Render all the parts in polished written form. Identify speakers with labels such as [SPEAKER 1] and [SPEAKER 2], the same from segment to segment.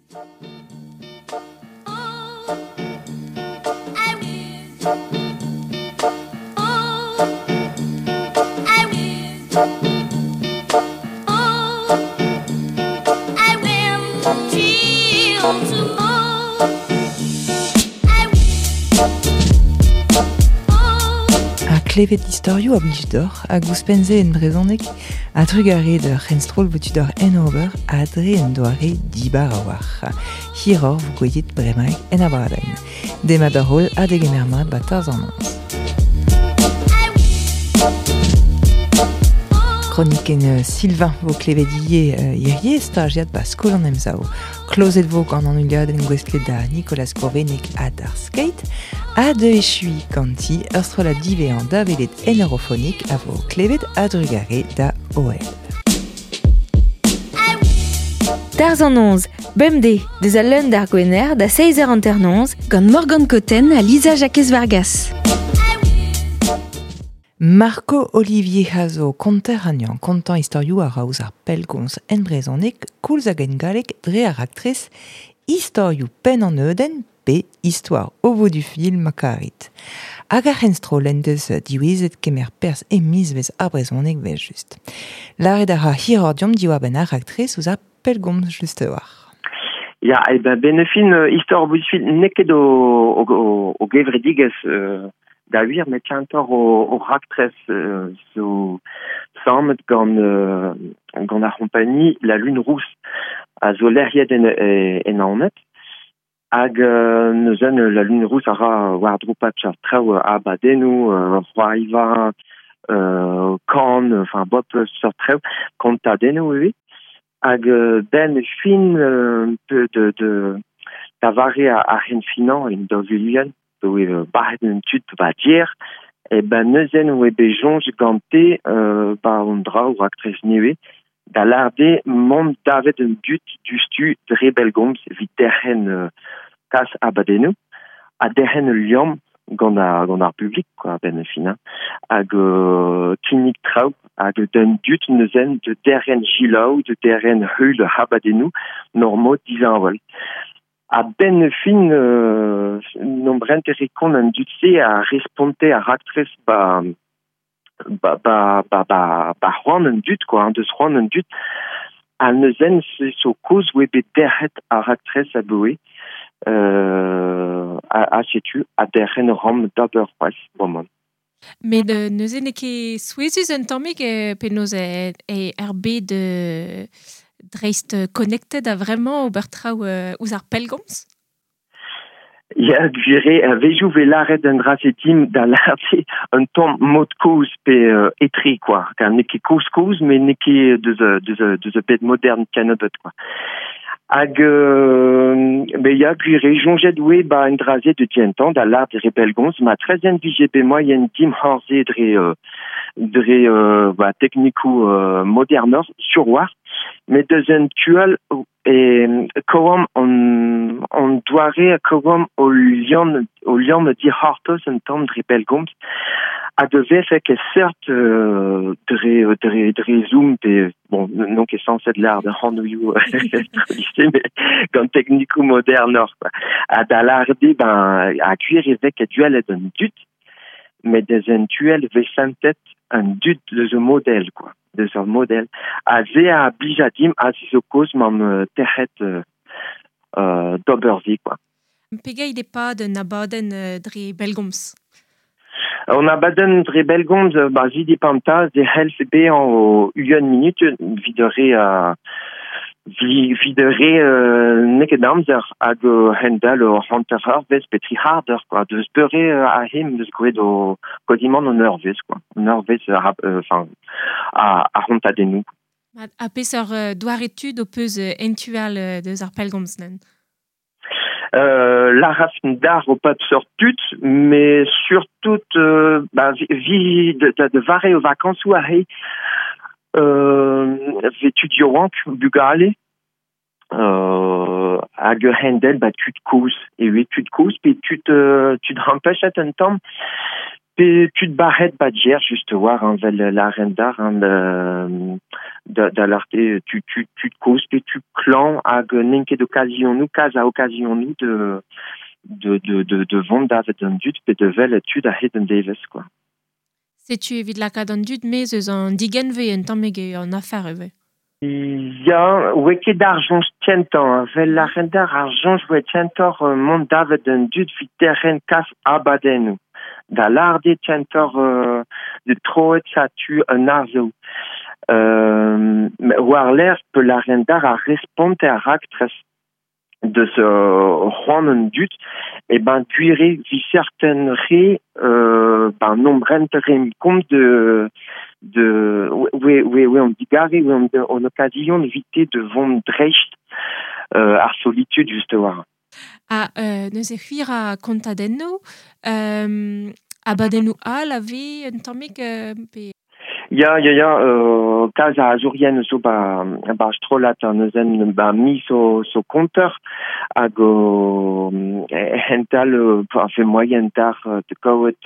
[SPEAKER 1] Ha klevet istorioù a blij deoc'h hag ouzhpenn-se en brezhoneg a trugarez d'ur c'henstroll vo tu deoc'h en ober ha dre un doare dibar a-walc'h. Hiroc'h vo gwelet bremaik en abadenn. Demat d'ar holl ha degemer mat ba Tarzh an Noz. Kronikenn Sylvain vo klevet ivez hirie stajiad ba Skol an Emsav. Klozet vo gant an heuliadenn gouestlet da Nicolas Gourvennek ha d'ar skate ha da echuiñ ganti ur strollad diwezhañ da welet en Eurofonik a vo klevet a-drugarez da OL.
[SPEAKER 2] Tarzh an Noz, bemdez, deus al leun d'ar Gwener da 6h hanternoz gant Morgan Cotten ha Lisa Jakez-Vargas.
[SPEAKER 1] Marco Olivier a zo konter anezhañ, kontañ istorioù a ra ouzh ar pellgomz en brezhoneg koulz hag en galleg dre ar raktres Istorioù penn an neudenn pe Histoire au bout du fil ma karit. Hag ar c'henstroll en deus diwezhet kemer perzh e mizvezh ar brezhoneg evel-just. Lâret a ra hiroc'h deomp diwar-benn ar raktres ouzh ar pellgomz just a-walc'h.
[SPEAKER 3] Ya, e ben benefin istor au bout du fil n'eo ket o gevredigezh da wir, met kentoc'h o raktres zo sammet gant ar c'hompagni La Lune Rousse a zo lec'hiet en Naoned. Hag neuzen La Lune Rousse a ra war-dro pep seurt traoù, abadennoù, c'hoariva, kan, enfin bop seurt traoù, kontadennoù ivez. Hag ben fin de da vare ar c'henfinañ en 2000 oe bac'het an tud ba dier, e ben neuzen oe bet soñj gante ba an draoù raktres nevez da lâret mont davet an dud diouzhtu dre bellgomz evit derc'hen kas abadennoù ha derc'hen ul liamm gant ar publik quoi a-benn ar fin hein. Hag kinnig traoù hag d'an dud neuzen de derc'hen selaou, de derc'hen heul abadennoù normaux disheñvel. A-benn ar fin n'omp rentet kont an dud-se a responte ar raktres ba ba ba ba ba ba c'hoant an dud quoi, hein, deus c'hoant an dud. Ha neuzen se zo kaoz oe bet derc'het ar raktres aboe ha setu ha derc'hen ran d'ober c'hoazh bremañ.
[SPEAKER 4] Met neuze n'eo ket souezhus un tammig penaos e ar bed dreist connected a vremañ ober traoù ouzh ar pellgomz?
[SPEAKER 3] Ya, gwir eo, a-wezhioù 'vez lâret un dra-se din da lâret un tamm mod-kozh pe etre quoi. Car n'eo ket kozh-kozh, met n'eo ket deus ur bed modern kennebeut quoi. Hag bet ya, gwir eo, soñjet oe ba un dra-se de gentañ da lâret dre bellgomz, ma trezen vije bet moaien dimp c'hoarzhe dre ba teknikoù modernoc'h sur 'walc'h, met deus un tu all e kaoamp an doare kaoamp o liamm dic'hortoz un tamm dre bellgomz ha da vefe ket seurt dre Zoom pe bon n'on ket sañset lâret ar anvioù met gant teknikoù modernoc'h quoi. Ha da lâret eo ben ha gwir e vez ket duellet an dud met deus un tu all e vez santet an dud deus o model quoi. Deus ur model. Ha se a blija dimp ha se zo kaoz m'am tec'het d'ober se quoi.
[SPEAKER 4] Pegeit e pad un abadenn dre bellgomz?
[SPEAKER 3] Un abadenn dre bellgomz, ba se depend se c'hellfe bezañ o ugent minut evit ar re evit ar re n'eo ket amzer hag hent-all ur hanter eurvezh pe tri c'hard eur quoi. Deus beure aze 'm eus graet o quasiment un eurvezh quoi. Un eurvezh enfin a c'hontadennoù.
[SPEAKER 4] Ha peseurt doare tud ho peus en tu all deus ar pellgomz neuze?
[SPEAKER 3] Lârafn d'ar o pep seurt tud, met surtout ba, vi da vare o vakañsoù aze vez tud yaouank, bugale, hag ur c'hendel ba tud kozh. Eo tud kozh pe tud ampechet un tamm, Pe tud barret bat jer just war an vel l'arendar an da l'arte tu tu tu koz pe tu klan hag n'en ket occasion nou kaz a occasion nou de vont davet an dud pe de vel tud a hed an devez quoi.
[SPEAKER 4] Setu evit lakaat an dud mez eus an digenve un tammig eo an afer eve.
[SPEAKER 3] Ya, oe ket ar soñj kentañ, vel ar rendar ar soñj oe kentoc'h mont davet an dud vit derc'hen kas abadennoù. Da larde kentoc'h de troet sa tu un arzoù. War l'air pe la rendar a responte a raktres deus c'hoant an dud, e ben gwire vi certain re ben nombrent re kont de oe on digare oe on occasion vite de vont dreist ar solitude just war.
[SPEAKER 4] A neuze c'hwir a kontadennoù, abadennoù all a ve un tammig pe...
[SPEAKER 3] Ya, kaz a azourien zo ba strolat an neuzen ba mi so konter hag o hental a fe moyen tar de kaouet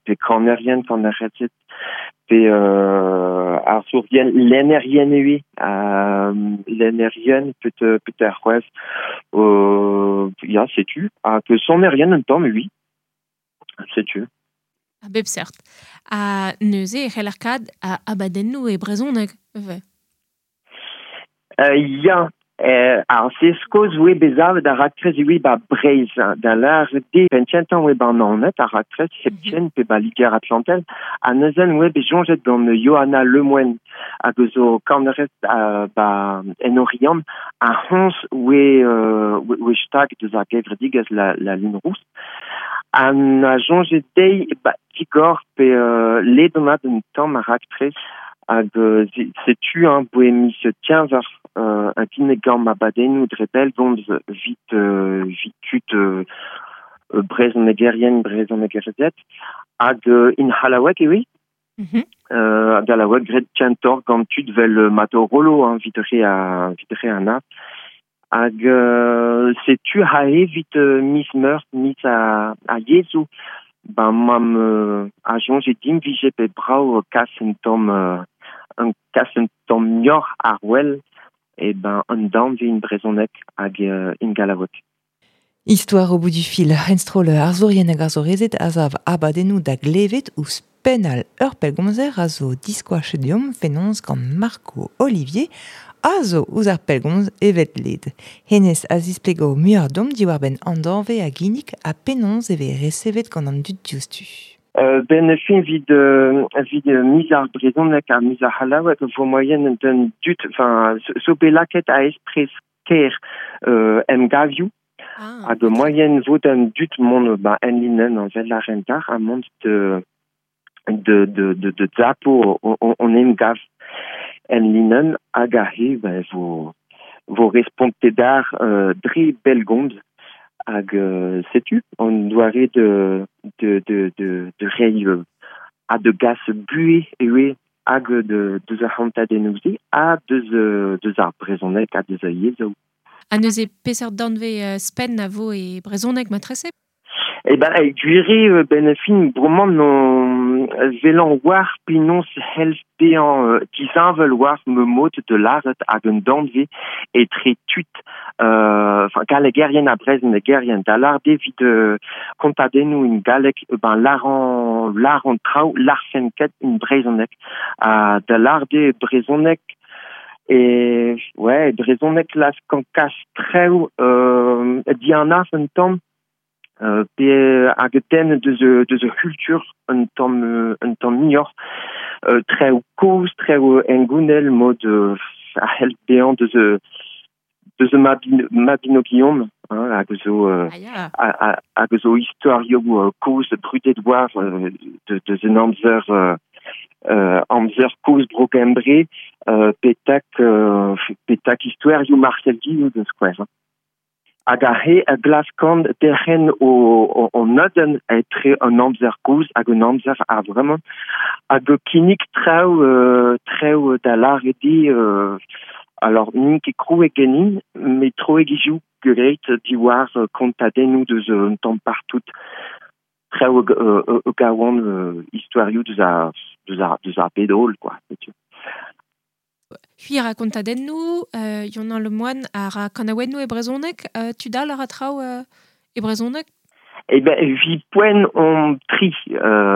[SPEAKER 3] pe kanerien kanerezet pe ar sourien lennerien eo lennerien peut ar c'hwez ya setu hag sonerien un tamm oui setu.
[SPEAKER 4] A bep seurt. A neuze e c'heller kad a abadennoù e brezhoneg eve.
[SPEAKER 3] Ya, ar se skoz oe bezavet ar raktres oe ba Breizh, da l'ar de penchentan oe ba Naoned, ar raktres hepken pe ba Liger Atlantel, a neuzen oe bet soñjet gant Johanna Lemoine hag zo kanerez ba en Oriant, a c'hoñs oe stag deus ar gevredigezh la Lune Rousse. An a soñjet dezhi ba digor pe ledanat un tamm ar raktres hag setu hein, boe miz tienver a kinnig gant ma badennoù dre bellgomz vit tud brezhonegerien brezhonegerezed hag in c'hallaoueg eo hag c'hallaoueg graet kentoc'h gant tud vel Mato Rollo hein, vit re an art. Hag setu ha evit miz meur, miz a yezhoù, ben mam a soñjet din vije pe brav kas un tamm mioc'h ar wel e ben un danve in brezhoneg hag in gallaoueg.
[SPEAKER 1] Histoire au bout du fil, enstrol arzourien hag arzourezed a zav abadennoù da glevet ouzh pennal ur pellgomzer a zo diskoachet deomp fenoz gant Marco Olivier a zo ouzh ar pellgomz evet led. Hennezh a zisplego muioc'h deomp diwar-benn an danve a ginnig ha penaos e vez resevet gant an dud diouzhtu.
[SPEAKER 3] Ben fin vid miz ar brezhoneg ha miz ar c'hallaoueg vo moyen d'un dud, enfin zo bet lakaet a espres ker emgavioù hag moyen vo d'un dud mont ba en linenn an vel ar rentar ha mont de zapo on emgav en linenn hag a he ben vo responte d'ar dre bellgomz hag setu on doare de reiñ ha de gas buhe eo hag de deus ar c'hantadennoù-se ha deus ar brezhoneg ha deus ar yezhoù.
[SPEAKER 4] Ha neuze peseurt danve spenn a vo e brezhoneg matrese?
[SPEAKER 3] Eh ben, gwire ben fin bremañ non velan war penaos c'hell bezañ disheñvel war ma mod de lâret hag un danve etre tud enfin gallegerien ha brezhonegerien da lâret evit kontadennoù in galleg ben lâran traoù larfen ket in brezhoneg ha da lâret eo brezhoneg e ouais brezhoneg las kan kas traoù dianaf un tamm pe hag ten deus ur c'hultur un tamm muioc'h traoù kozh, traoù engounel mod a c'hell bezañ deus Mabinogion hein, hag zo hag zo istorioù kozh brudet war deus un amzer amzer kozh bro Gembre petak istorioù Marcel Guillou deus skouer. Hag a he a glaskant derc'hen o neudenn etre un amzer kozh hag un amzer a vremañ hag kinnig traoù da lâret eo alors n'int ket krouet ganin met troet gizioù graet diwar kontadennoù deus un tamm partout. Traoù e gawan istoerioù deus ar deus ar deus ar bed holl quoi, setu.
[SPEAKER 4] C'hwi a ra kontadennoù, Younan Le Moine a ra kanaouennoù e brezhoneg, tud all a ra traoù e brezhoneg?
[SPEAKER 3] Eh ben, evit poent omp tri,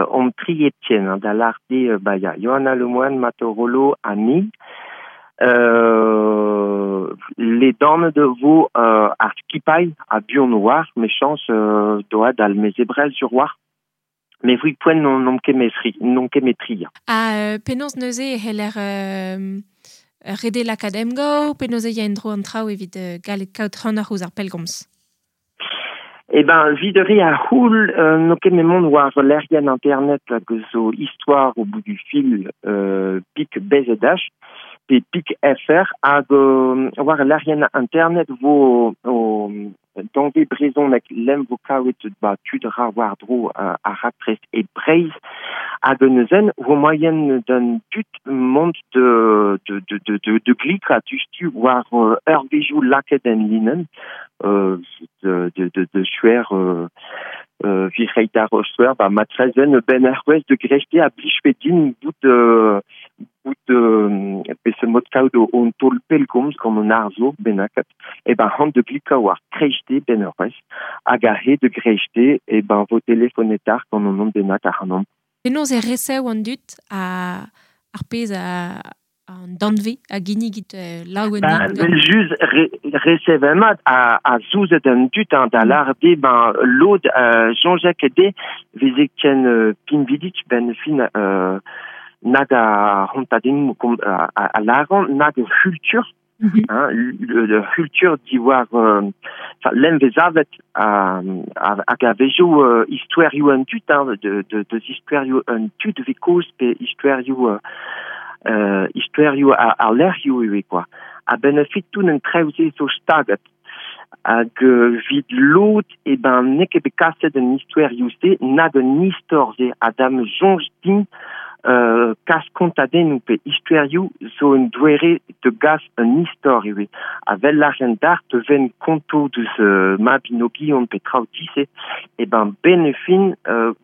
[SPEAKER 3] omp tri hepken, hein, da lâret eo, ba ya, Johanna Le Moine, Mato Rollo ha ni. Ledanet e vo ar skipailh ha buan war, mechañs doa d'al mezebrel sur war. Mais evit poent n'omp ket metri, n'omp ket metri.
[SPEAKER 4] Ha penaos neuze e c'heller rede lakaat emgav, penaos e ya en-dro an traoù evit gallet kaout c'hanoc'h ouzh ar pellgomz?
[SPEAKER 3] Eh ben, evit re a c'houl, n'o ket me mont war lec'hienn internet hag zo histoire au bout du fil pik BZH pe pik FR hag war lec'hienn internet vo o danvez brezhoneg lem vo kavet ba tud ra war-dro ar raktres e Breizh hag neuzen vo moaien d'an dud mont de de de de de, de glikañ diouzhtu war eurvezhioù lakaet en linenn de de de de suer vi reit d'ar suer ba matrezen ben ar wezh de grechte a blijfe din bout bout peseurt mod kaout on taol pellgomz gant an arzour bennaket e ben c'hoant de glikañ war kreiste ben ur wezh hag a-hed de grechte e ben vo telefonetar gant an hont bennak ac'hanomp.
[SPEAKER 4] Penaos e resev an dud a ar pezh a an danvez a ginnigit laouen
[SPEAKER 3] Ba, just resev mat a zouzet an dud hein, da lâret eo ben lod soñjek eo veze ken pinvidik ben fin nag a c'hontadennoù a lâran nag ur c'hultur hein, le c'hultur diwar enfin lenn vez avet hag a-wezhioù istoerioù an dud hein, de de deus istoerioù an dud vez kozh pe istoerioù istoerioù ar lec'hioù ivez quoi. A-benn ar fin tout an traoù-se zo staget. Hag evit lod e ben n'eo ket bet kaset an istoerioù-se nag an istor-se ha da'm soñj din kas kontadennoù pe istoerioù zo un doare da gas un istor ivez. Ha 'vel lâren dac'h te ven konto deus Mabinogion pe traoù dise e ben 'benn ar fin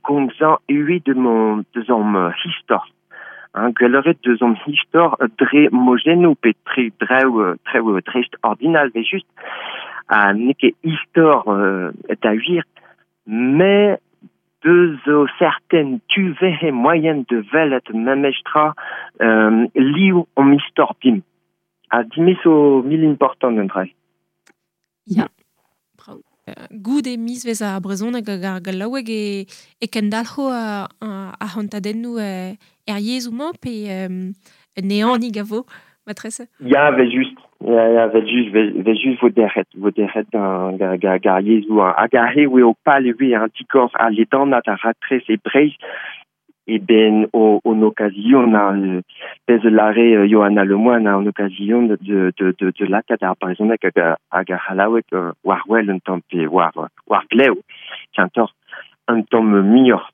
[SPEAKER 3] gomzañ ivez de mon deus am istor. Hein, gwelloc'h eo deus an istor dre mojennoù pe tre drev trev dreist ordinal evel just ha n'eo ket istor da wir met deus zo serten tu vehe moaien da welet memestra liv hon istor dimp. Ha dimp zo mil important an dra.
[SPEAKER 4] Ya, brav. Goude mizvezh ar brezhoneg hag ar gallaoueg e, e kendalc'ho ar c'hontadennoù er yezhoù-mañ pe un ehanig a vo matrese?
[SPEAKER 3] Ya, 'vel just. Ya, ya, 'vel just, 'vel just vo derc'het, vo derc'het gant ar yezhoù. Hag aze eo pal ivez an digor al ledanat ar raktres e Breizh e ben o occasion hein, pezh a lâre Johanna Le Moine an occasion de de de de lakaat ar brezhoneg hag hag ar c'hallaoueg war wel un tamm pe war war glev kentoc'h un tamm muioc'h.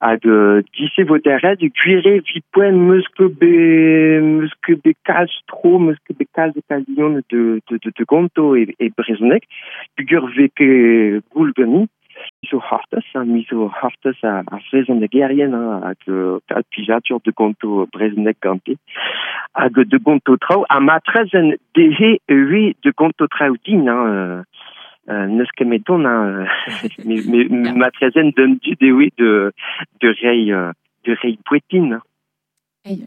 [SPEAKER 3] Hag dise vo derc'het gwir eo evit poent 'meus ket bet 'meus ket bet kalz tro 'meus ket bet kalz occasion de de de de gonto e e brezhoneg peogwir 'vez ket goul ganin. Mi zo c'hortoz, hein, mi zo c'hortoz ar vrezhonegerien hein, hag kalz plijadur da gonto brezhoneg gante. Hag da gonto traoù, ha matrezen dezhe ivez da gonto traoù din, hein, n'eus ket met dont, hein, me matrezen d'un dud ivez de de reiñ de reiñ boued din.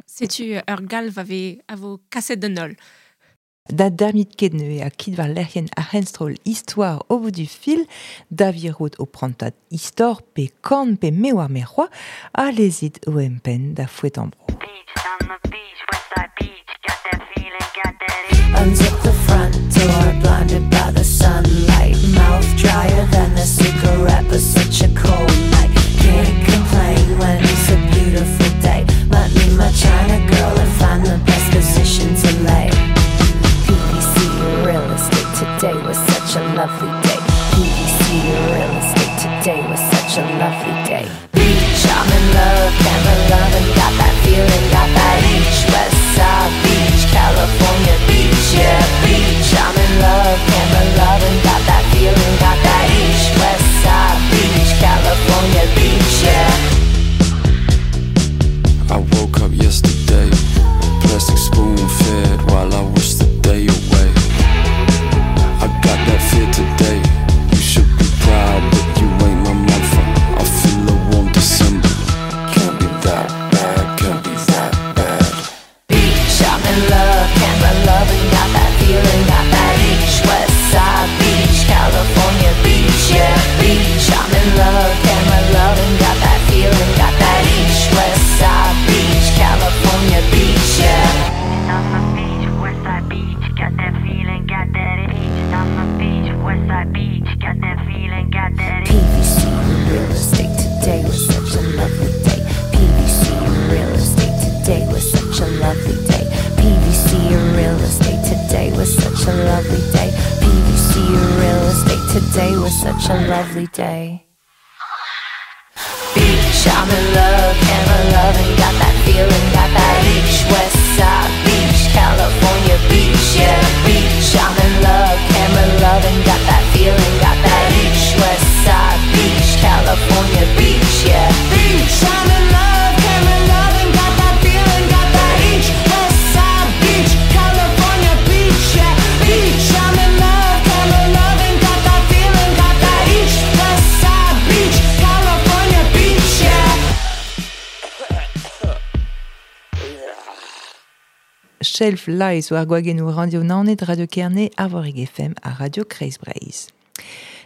[SPEAKER 4] Setu ur galv a vez a vo kaset d'an holl.
[SPEAKER 1] Da damit ket neuze ha kit war lec'hienn ar c'henstroll Histoire au bout du fil, da virout ho prantad istor pe kan pe me oar me c'hoazh, ha lezit ho empenn da foetañ bro.
[SPEAKER 5] Unzip the front door, blinded by the sunlight. Mouth drier than a cigarette, but such a cold night. Can't complain when it's a beautiful day. Let me my China girl and find the best position to lay. PVC real estate today was such a lovely day. PVC real estate today was such a lovely day. Beach, I'm in love, camera loving, got that feeling, got that each West Side Beach, California beach, yeah, beach. I'm in love, camera loving, got that feeling, got that each West Side Beach, California beach. Westside Beach, got that feeling, got that PVC real estate today was such a lovely day. PVC real estate today was such a lovely day. PVC real estate today was such a lovely day. PVC real estate today was such a lovely day. Beach, I'm in love, camera loving, got that feeling, got that beach, West Side Beach, California beach, yeah. Beach, I'm in love, camera loving, got that feeling, got that beach, West Side Beach, California beach, yeah. Beach, I'm in love, camera loving, got that feeling, got that beach, West Side Beach, California beach, yeah. Beach, I'm in love, camera loving, got that feeling, got that beach, West Side Beach, California beach, yeah.
[SPEAKER 1] Shelf Lies war gwagennoù Radio Naoned, Radio Kerne, Arvorig FM ha Radio Kreiz Breizh.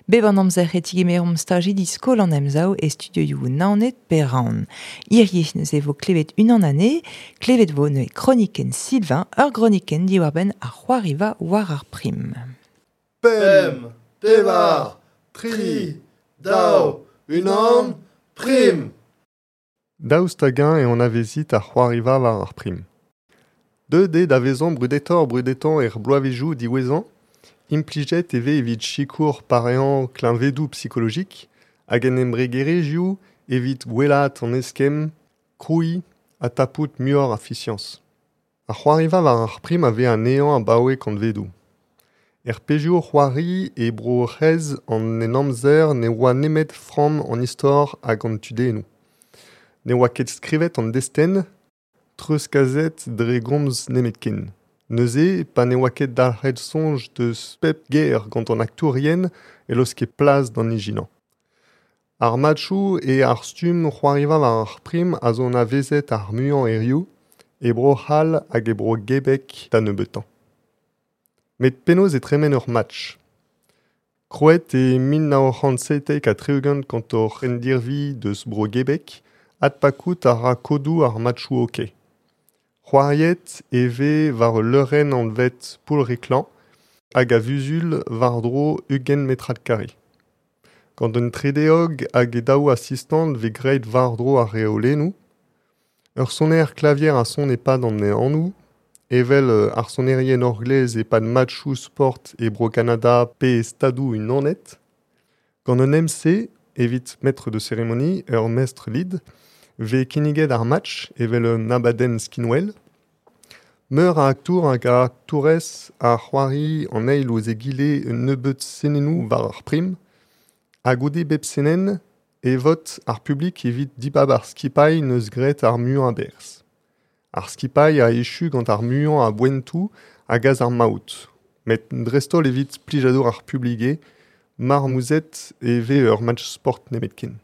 [SPEAKER 1] Bep an amzer e tigemeromp stajidi skol an emsav e studioioù Naoned pe Raon. Hirie neuze vo klevet unan anezhe, klevet vo neuze kronikenn Sylvain, ur gronikenn diwar-benn ar c'hoariva war ar prim.
[SPEAKER 6] Pemp, pevar, tri, daou, unan, prim.
[SPEAKER 7] Daoust hag-eñ eo anavezit ar c'hoariva war ar prim. Deuet eo da vezañ brudetoc'h-brudetañ er bloavezhioù diwezhañ, implijet e vez evit sikour pareañ kleñvedoù psikologik hag en embregerezhioù evit gwellaat an eskemm, krouiñ ha tapout muioc'h a fiziañs. Ar c'hoariva war ar prim a vez anezhañ abaoe kantvedoù. Er pezhioù c'hoari e Bro-C'hrez an Henamzer ne oa nemet framm an istor hag an tudennoù. Ne oa ket skrivet an destenn, treuzkaset dre gomz nemetken. Neuze, pa ne oa ket dalc'het soñj deus pep ger gant an aktourien e laoske plas d'an ijinañ. Ar matchoù e ar stumm c'hoariva war ar prim a zo anavezet ar muiañ hiziv, e Bro-C'hall hag e Bro-Gebek da nebeutañ. Met penaos e tremen ur match? Krouet e 1977 gant hor c'hendirvi deus Bro-Gebek, adpakout a ra kodoù ar matchoù hockey. C'hoariet e vez war ul leurenn anvet Poull-Riklañ hag a-vuzul war-dro 20 metrad kare. Gant un tredeog hag e daou asistant vez graet war-dro ar reolennoù. Ur soner klavier a son e-pad an ehanoù, evel ar sonerien orglez e-pad matchoù sport e Bro-Kanada pe e Stadoù Unanet. Gant un MC, evit maître de cérémonie, ur mestr lid, vez kinniget ar match evel un abadenn skinwel. Meur a aktour hag a aktourez a c'hoari an eil ouzh egile un nebeud senennoù war ar prim. Ha goude bep senenn e vot ar publik evit dibab ar skipailh neus graet ar muiañ a-berzh. Ar skipailh a echu gant ar muiañ a boentoù a gas ar maout. Met dreist-holl evit plijadur ar publik eo, marmouzet e vez ur match sport nemetken.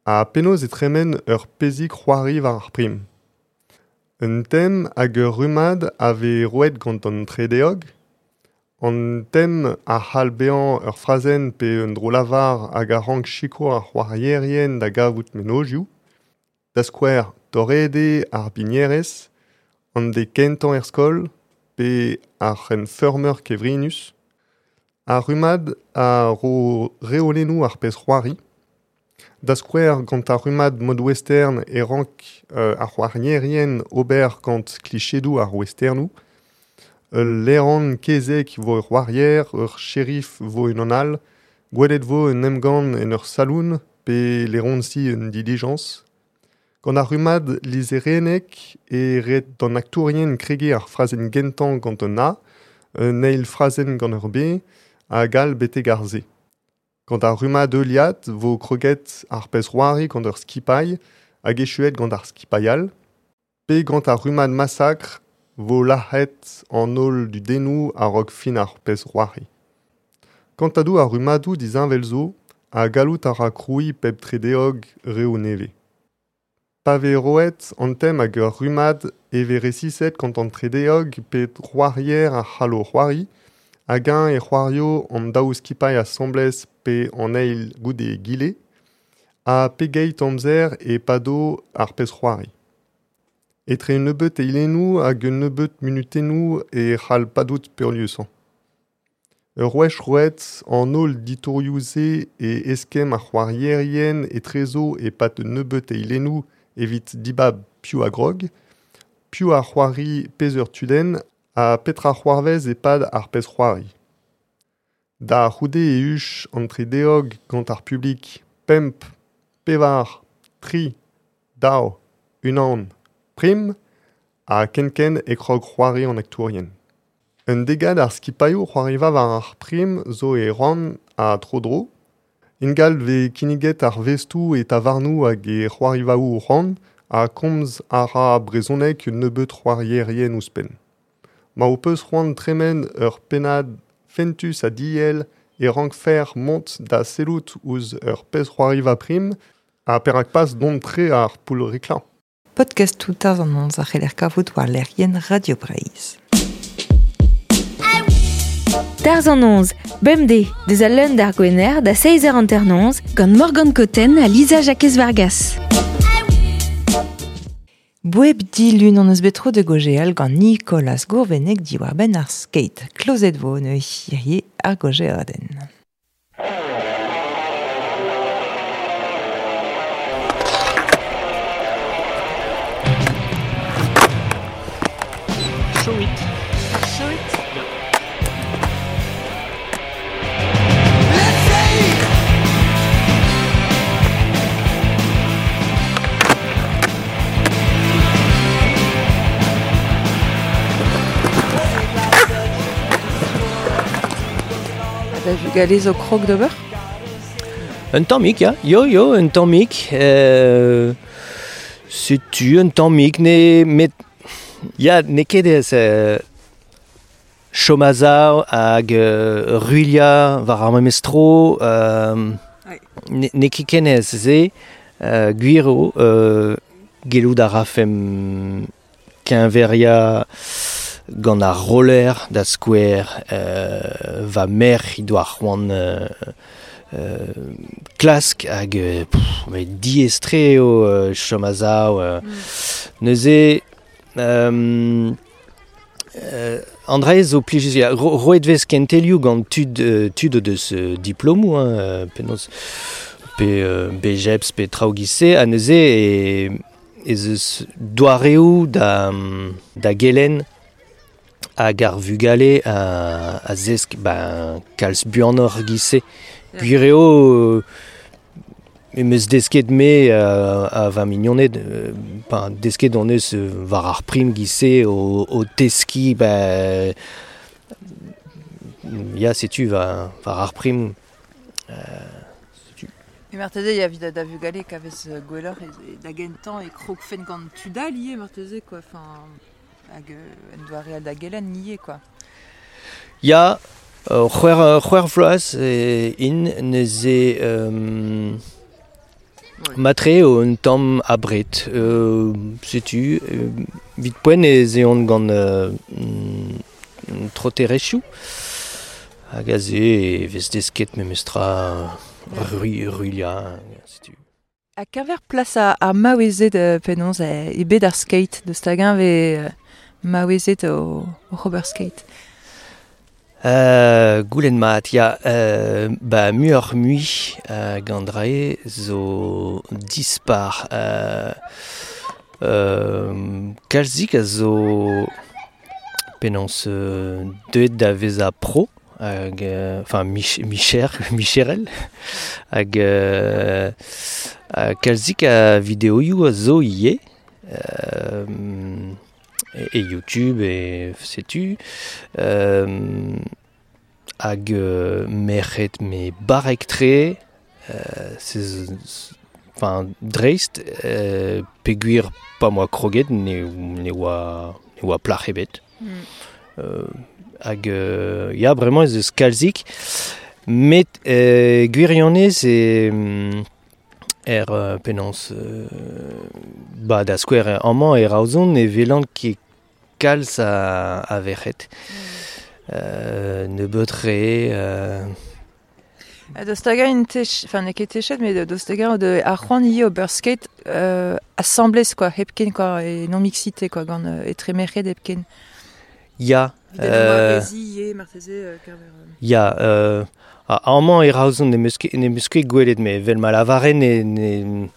[SPEAKER 7] Ha penaos e tremen ur pezhig c'hoari war ar prim. Un tem hag ur rummad a vez roet gant an tredeog. An tem a c'hall bezañ ur frazenn pe un dro-lavar hag a rank sikour ar c'hoarierien da gavout mennozhioù. Da skouer, torret eo ar bignerez, an deiz kentañ er skol, pe ar c'henfeurmer kevrinus. Ar rummad a ro reolennoù ar pezh c'hoari. Da skouer gant ar rummad mod western e rank ar c'hoarierien ober gant klichedoù ar westernoù. Ul laeron kezeg vo ur c'hoarier, ur shérif vo unan all, gwelet vo un emgann en ur saloon pe laeronsi un dilijañs. Gant ar rummad lizherennek e ret d'an aktourien kregiñ ar frazenn gentañ gant un A, un eil frazenn gant ur B, hag all betek ar Z. Gant ar rummad heuliad vo kroget ar pezh c'hoari gant ur skipailh hag echuet gant ar skipailh all. Pe gant ar rummad massacre vo lazhet an holl dudennoù a-raok fin ar pezh c'hoari. Kantadoù ar rummadoù disheñvel zo ha gallout a ra krouiñ pep tredeog reoù nevez. Pa vez roet an tem hag ur rummad e vez resiset gant an tredeog pe c'hoarier a c'hallo c'hoari, hag-eñ e c'hoario an daou skipailh asambles pe an eil goude egile, ha pegeit amzer e pado ar pezh c'hoari. Etre un nebeud eilennoù hag un nebeud munutennoù e c'hall padout peurliesañ. Ur wech roet an holl ditorioù-se e eskemm ar c'hoarierien etrezo e-pad nebeut eilennoù evit dibab piv a grog, piv a c'hoari peseurt tudenn ha petra c'hoarvez e-pad ar pezh-c'hoari. Da c'houde e huch an tredeog gant ar publik pemp, pevar, tri, daou, unan, prim, ha kenkent e krog c'hoari an aktourien. Un degad ar skipailhoù c'hoariva war ar prim zo e Rouen ha tro-dro. Ingal vez kinniget ar vestoù e tavarnoù hag e c'hoarivaoù Rouen ha komz a ra brezhoneg un nebeud c'hoarierien ouzhpenn. Ma ho peus c'hoant tremen ur pennad fentus ha diell e rankfer mont da sellout ouzh ur pezh c'hoariva prim ha perak pas dont tre ar poull-riklañ.
[SPEAKER 1] Podcastoù Tarzh an Noz a c'heller kavout war lec'hienn Radio Breizh.
[SPEAKER 2] Tarzh an Noz, bemdez, deus al leun d'ar Gwener da 6h59
[SPEAKER 4] gant Morgane Cotten ha Lisa Jakez Vargas.
[SPEAKER 1] Boueb dilun an eus bet tro de gojeal gant Nicolas Gourveneg diwar-benn ar skate. Klozet vo ne hirie ar gojeadenn.
[SPEAKER 8] Show it.
[SPEAKER 1] Show it. Da vugale zo krog d'ober?
[SPEAKER 9] Un tammig, ya. Yo, yo, un tammig. Setu un tammig, ne, met... Ya, n'eo ket ez chom a-sav hag ruilhañ war ar memes tro, n'eo ket ken ez se, gwir eo, gellout a rafemp keñveriañ gant ar roller da skouer, va merc'h he doa c'hoant klask hag met diaes-tre eo chom a-sav. Neuze an dra zo plijus, ya, roet vez kentelioù gant tud tud o deus diplomoù, hein, penaos pe BJEPS pe traoù giz-se, ha neuze ez eus doareoù da gelenn hag ar vugale a zesk ben, kalz buanoc'h giz-se. Gwir eo em eus desket me a va mignoned, ben, desket on eus war ar prim giz-se o teskiñ, ben, ya, setu war ar prim. Setu.
[SPEAKER 1] E marteze ya evit da vugale kavez gwelloc'h da gentañ e krogfen gant tud all ivez marteze, quoi, enfin, hag en doare all da gelenn ivez, quoi.
[SPEAKER 9] Ya, c'hwec'h vloaz int neuze matre eo un tamm abred. Setu, evit poent ez eont gant troterezhioù. Hag aze e vez desket memestra ruilhañ, setu.
[SPEAKER 1] Ha keñver plas ar maouezed penaos e bed ar skate, deus hag-eñ vez maouezed o ober skate?
[SPEAKER 9] Goulenn mat, ya, ba muioc'h mui gant drae zo dispar. Kalzik a zo penaos deuet da vezañ pro, hag enfin micher, micherel, hag kalzik a videoioù a zo ivez. E YouTube e setu hag merc'hed me barrek-tre enfin dreist peogwir pa moa kroget ne oa plac'h ebet. Hag ya bremañ ez eus kalzik met gwirionez e er penaos ba da skouer amañ e Roazhon e welan ket kalz a verc'hed. Nebeut re.
[SPEAKER 1] Deus hag-eñ int enfin n'eo ket techet, met deus hag-eñ ar c'hoant ivez ober skate asambles, quoi, hepken, quoi, e non mixité, quoi, gant etre merc'hed hepken.
[SPEAKER 9] Ya, Ya, amañ e Roazhon ne meus ket gwelet, met vel ma lavaren ne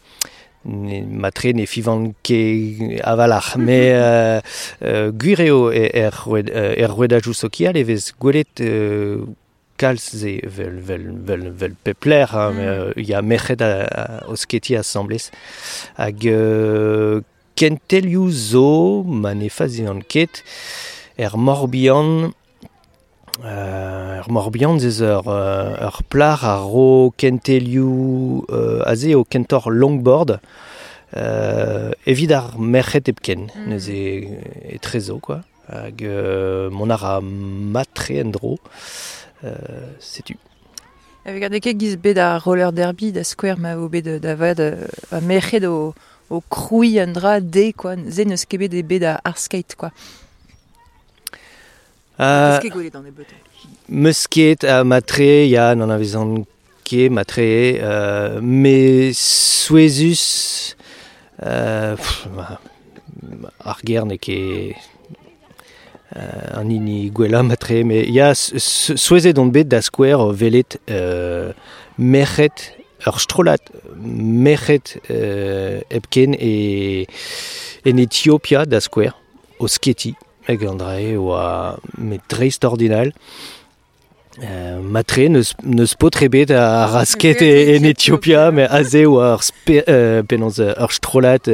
[SPEAKER 9] matre ne fivan ket avalc'h, met gwir eo er rouedajoù sokial e vez gwelet kalz ze vel pep lec'h, hein, ya merc'hed o sketiñ asambles. Hag kentelioù zo, ma ne fazian ket, er Morbihan. Er Morbihan ez ur plac'h a ro kentelioù aze o kentoc'h longboard evit ar merc'hed hepken, neuze etrezo quoi. Hag mont a ra matre en-dro, setu.
[SPEAKER 1] Hag ket giz bet ar roller derby da skouer ma vo bet da vat a merc'hed o krouiñ an dra de quoi, se n'eus ket bet bet ar skate quoi.
[SPEAKER 9] Meus ket matre, ya, n'an avezan ket matre, me souezus, ar ger n'eo ket an hini gwellañ matre, mais ya, souezet on bet da skouer o welet merc'hed, ur strollad merc'hed hepken e en Etiopia da skouer, o sketiñ. Hag an dra oa met dreist-ordinal. Matre n'eus paotr ebet a rasket en Etiopia, met aze oa penaos ur strollad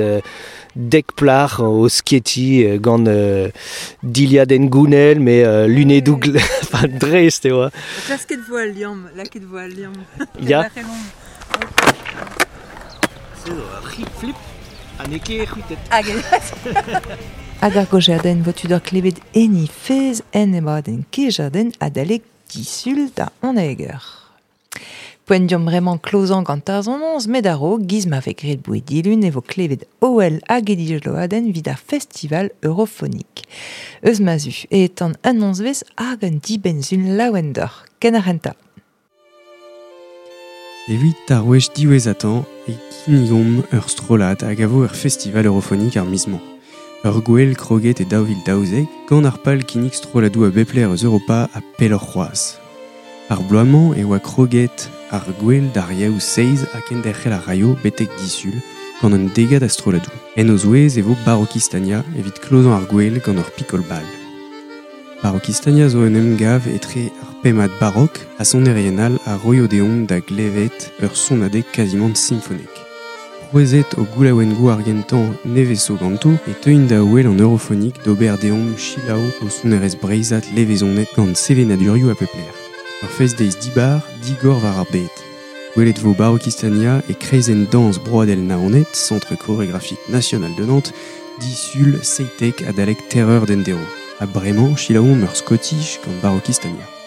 [SPEAKER 9] dek plac'h o sketiñ gant dilhad en gounell, met lunedoù enfin dreist e oa.
[SPEAKER 1] Klasket vo al liamm, lakaet vo al liamm.
[SPEAKER 9] Ya. C'est ur flip ha n'eo ket c'hwitet.
[SPEAKER 1] Hag ar gojadenn vo tu d'ur klevet eni fez en emadenn kejadenn adalek disul da oneger. Poent diomp bremañ klozañ gant ar sonañs met a-raok giz ma vez graet boued dilun e vo klevet OL hag Edijloadenn evit ar festival eurofonik. Eus ma zu e etan un onzvez hag un dibenn-sun laouen deoc'h. Ken ar c'hentañ.
[SPEAKER 8] Evit ar wech diwezhatañ e kinnigomp ur strollad hag a vo ur festival eurofonik ar miz-mañ. Ur gwel kroget e 2012 gant ar pal kinnig strolladoù a bep lec'h eus Europa ha pelloc'h c'hoazh. Ar bloaz-mañ e oa kroget ar gwel d'ar yaou seiz ha kenderc'hel ar raio betek disul gant un degad a strolladoù. En o zouez e vo Barokistania evit klozañ ar gwel gant ur pikol bal. Barokistania zo un emgav etre ar pemad barok ha sonerien all a roio deomp da glevet ur sonadeg kazimant simfonek. C'hwezet o goulaouengoù ar gentañ nevez zo ganto e teuint da wel an eurofonik d'ober deomp selaou o sonerezh breizhat levezonet gant sevenadurioù a pep lec'h. Ur fest-deiz dibar, digor war ar bed. Gwelet vo Barokistania e kreizenn dañs Broadel Naoned, Centre chorégraphique national de Nantes, disul seitek adalek terreur d'endero. Ha bremañ selaouomp ur Scottish gant Barokistania.